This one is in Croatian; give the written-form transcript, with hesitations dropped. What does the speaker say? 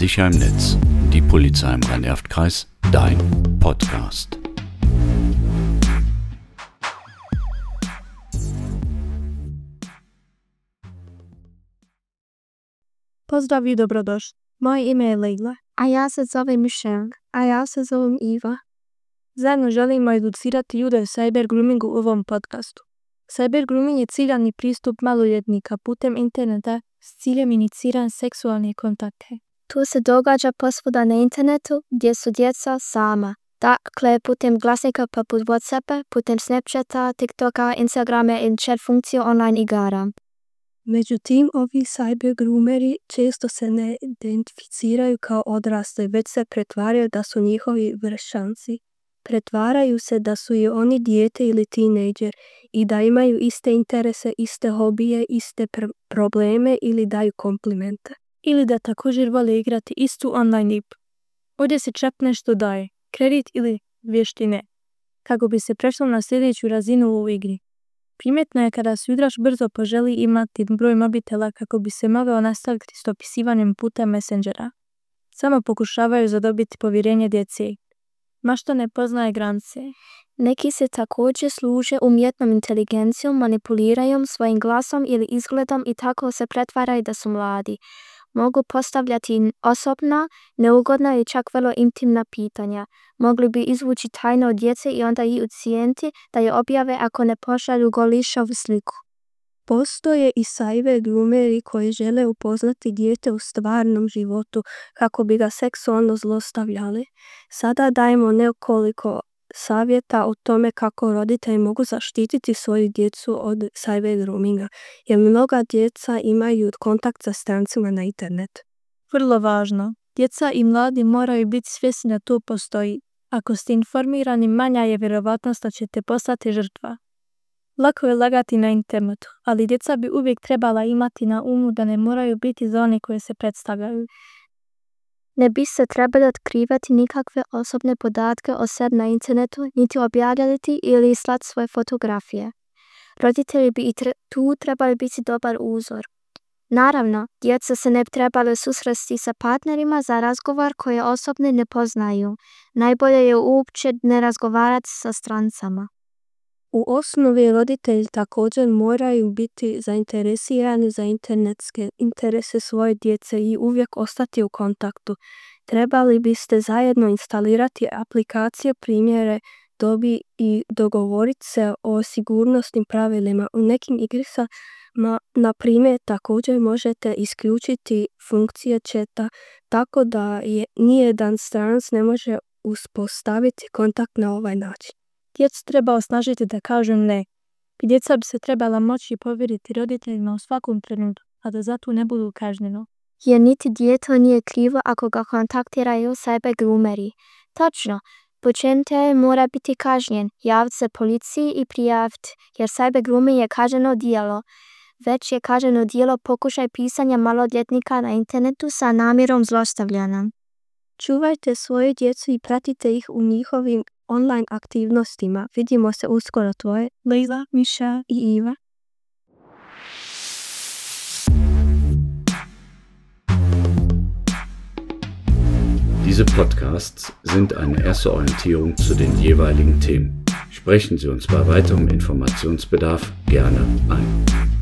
Sicher im Netz. Die Polizei im Rhein-Erft-Kreis. Dein Podcast. Pozdrav i dobrodošli. Moje ime je Leila. A ja se zovem Michelle. A ja se zovem Iva. Zajedno želimo educirati ljude o cyber groomingu u ovom podcastu. Cyber grooming je ciljani pristup maloljetnika putem interneta s ciljem iniciranja seksualne kontakte. To se događa posvuda na internetu gdje su djeca sama. Dakle, putem glasnika poput WhatsAppa, putem Snapchata, TikToka, Instagrama i chat funkciju online igara. Međutim, ovi cyber groomeri često se ne identificiraju kao odrasli, već se pretvaraju da su njihovi vršnjaci. Pretvaraju se da su i oni dijete ili tinejdžer i da imaju iste interese, iste hobije, iste probleme ili daju komplimente. Ili da također vole igrati istu online igru. Ovdje se čak nešto daje, kredit ili vještine, kako bi se prešlo na sljedeću razinu u igri. Primjetno je kada se igrač brzo poželi imati broj mobitela kako bi se mogao nastaviti s dopisivanjem putem Messengera. Samo pokušavaju zadobiti povjerenje djece. Mašta ne poznaje granice. Neki se također služe umjetnom inteligencijom, manipuliraju svojim glasom ili izgledom i tako se pretvaraju da su mladi. Mogu postavljati osobna, neugodna i čak vrlo intimna pitanja. Mogli bi izvući tajno od djece i onda ih ucijeniti da je objave ako ne pošalju golišavu sliku. Postoje i cyber groomeri koji žele upoznati dijete u stvarnom životu kako bi ga seksualno zlostavljali. Sada dajemo nekoliko savjeta o tome kako roditelji mogu zaštititi svoju djecu od cyber groominga, jer mnoga djeca imaju kontakt sa strancima na internetu. Vrlo važno, djeca i mladi moraju biti svjesni da to postoji. Ako ste informirani, manja je vjerovatnost da ćete postati žrtva. Lako je lagati na internetu, ali djeca bi uvijek trebala imati na umu da ne moraju biti za one koje se predstavljaju. Ne bi se trebali otkrivati nikakve osobne podatke o sebi na internetu, niti objavljati ili slati svoje fotografije. Roditelji bi i tu trebali biti dobar uzor. Naravno, djeca se ne bi trebali susresti sa partnerima za razgovor koje osobne ne poznaju. Najbolje je uopće ne razgovarati sa strancama. U osnovi roditelji također moraju biti zainteresirani za internetske interese svoje djece i uvijek ostati u kontaktu. Trebali biste zajedno instalirati aplikacije, primjere dobi i dogovoriti se o sigurnosnim pravilima. U nekim igricama, na primjer, također možete isključiti funkcije chata tako da nijedan stranac ne može uspostaviti kontakt na ovaj način. Djecu treba osnažiti da kažu ne. Djeca bi se trebala moći povjeriti roditeljima u svakom trenutku, a da zato ne budu kažnjeno. Jer niti dijete nije krivo ako ga kontaktiraju cyber groomeri. Točno, počinitelj mora biti kažnjen, javiti se policiji i prijaviti, jer cyber grooming je kažnjeno djelo. Već je kažnjeno djelo pokušaj pisanja maloljetnika na internetu sa namjerom zlostavljanja. Čuvajte svoju djecu i pratite ih u njihovim online aktivnostima. Vidimo se uskoro. Tvoje Leila, Michelle i Iva. Diese Podcasts sind eine erste Orientierung zu den jeweiligen Themen. Sprechen Sie uns bei weiterem Informationsbedarf gerne ein.